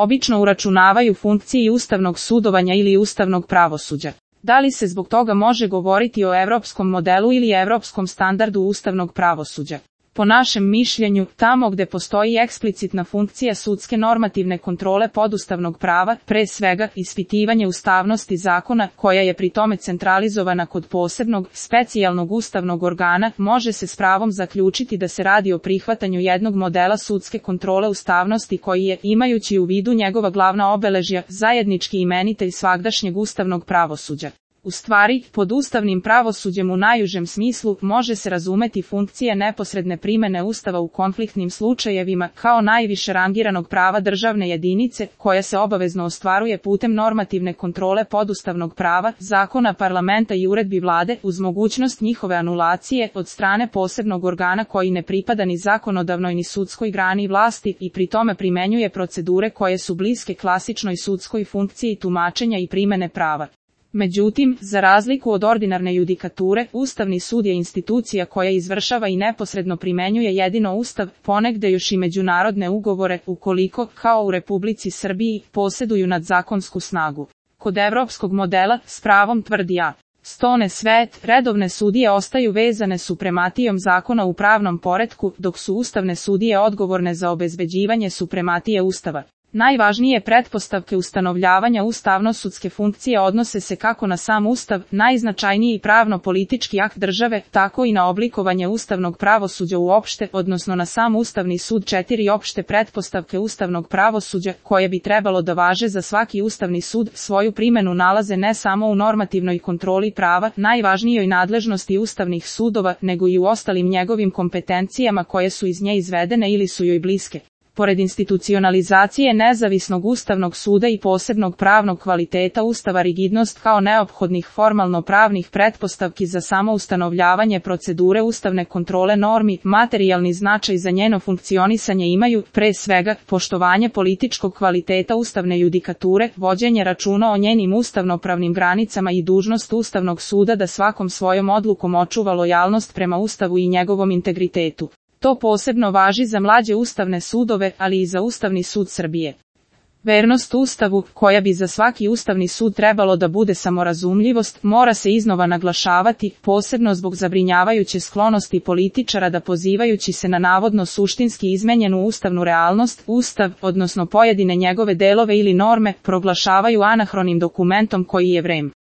obično uračunavaju funkciji ustavnog sudovanja ili ustavnog pravosuđa. Da li se zbog toga može govoriti o evropskom modelu ili evropskom standardu ustavnog pravosuđa? Po našem mišljenju, tamo gde postoji eksplicitna funkcija sudske normativne kontrole podustavnog prava, pre svega ispitivanje ustavnosti zakona, koja je pri tome centralizovana kod posebnog, specijalnog ustavnog organa, može se s pravom zaključiti da se radi o prihvatanju jednog modela sudske kontrole ustavnosti koji je, imajući u vidu njegova glavna obeležja, zajednički imenitelj svagdašnjeg ustavnog pravosuđa. U stvari, pod ustavnim pravosuđem u najužem smislu može se razumeti funkcija neposredne primene Ustava u konfliktnim slučajevima kao najviše rangiranog prava državne jedinice, koja se obavezno ostvaruje putem normativne kontrole podustavnog prava, zakona parlamenta i uredbi vlade, uz mogućnost njihove anulacije od strane posebnog organa koji ne pripada ni zakonodavnoj ni sudskoj grani vlasti i pri tome primenjuje procedure koje su bliske klasičnoj sudskoj funkciji tumačenja i primene prava. Međutim, za razliku od ordinarne judikature, Ustavni sud je institucija koja izvršava i neposredno primenjuje jedino Ustav, ponegde još i međunarodne ugovore, ukoliko, kao u Republici Srbiji, poseduju nadzakonsku snagu. Kod evropskog modela, s pravom tvrdi A. Stone Svet, redovne sudije ostaju vezane suprematijom zakona u pravnom poretku, dok su ustavne sudije odgovorne za obezbeđivanje suprematije Ustava. Najvažnije pretpostavke ustanovljavanja ustavno-sudske funkcije odnose se kako na sam Ustav, najznačajniji pravno-politički akt države, tako i na oblikovanje ustavnog pravosuđa uopšte, odnosno na sam Ustavni sud. 4 opšte pretpostavke ustavnog pravosuđa, koje bi trebalo da važe za svaki Ustavni sud, svoju primenu nalaze ne samo u normativnoj kontroli prava, najvažnijoj nadležnosti ustavnih sudova, nego i u ostalim njegovim kompetencijama koje su iz nje izvedene ili su joj bliske. Pored institucionalizacije nezavisnog ustavnog suda i posebnog pravnog kvaliteta Ustava, rigidnost kao neophodnih formalno-pravnih pretpostavki za samo ustanovljavanje procedure ustavne kontrole normi, materijalni značaj za njeno funkcionisanje imaju, pre svega, poštovanje političkog kvaliteta ustavne judikature, vođenje računa o njenim ustavnopravnim granicama i dužnost Ustavnog suda da svakom svojom odlukom očuva lojalnost prema Ustavu i njegovom integritetu. To posebno važi za mlađe ustavne sudove, ali i za Ustavni sud Srbije. Vernost Ustavu, koja bi za svaki ustavni sud trebalo da bude samorazumljivost, mora se iznova naglašavati, posebno zbog zabrinjavajuće sklonosti političara da pozivajući se na navodno suštinski izmenjenu ustavnu realnost, Ustav, odnosno pojedine njegove delove ili norme, proglašavaju anahronim dokumentom koji je vrem.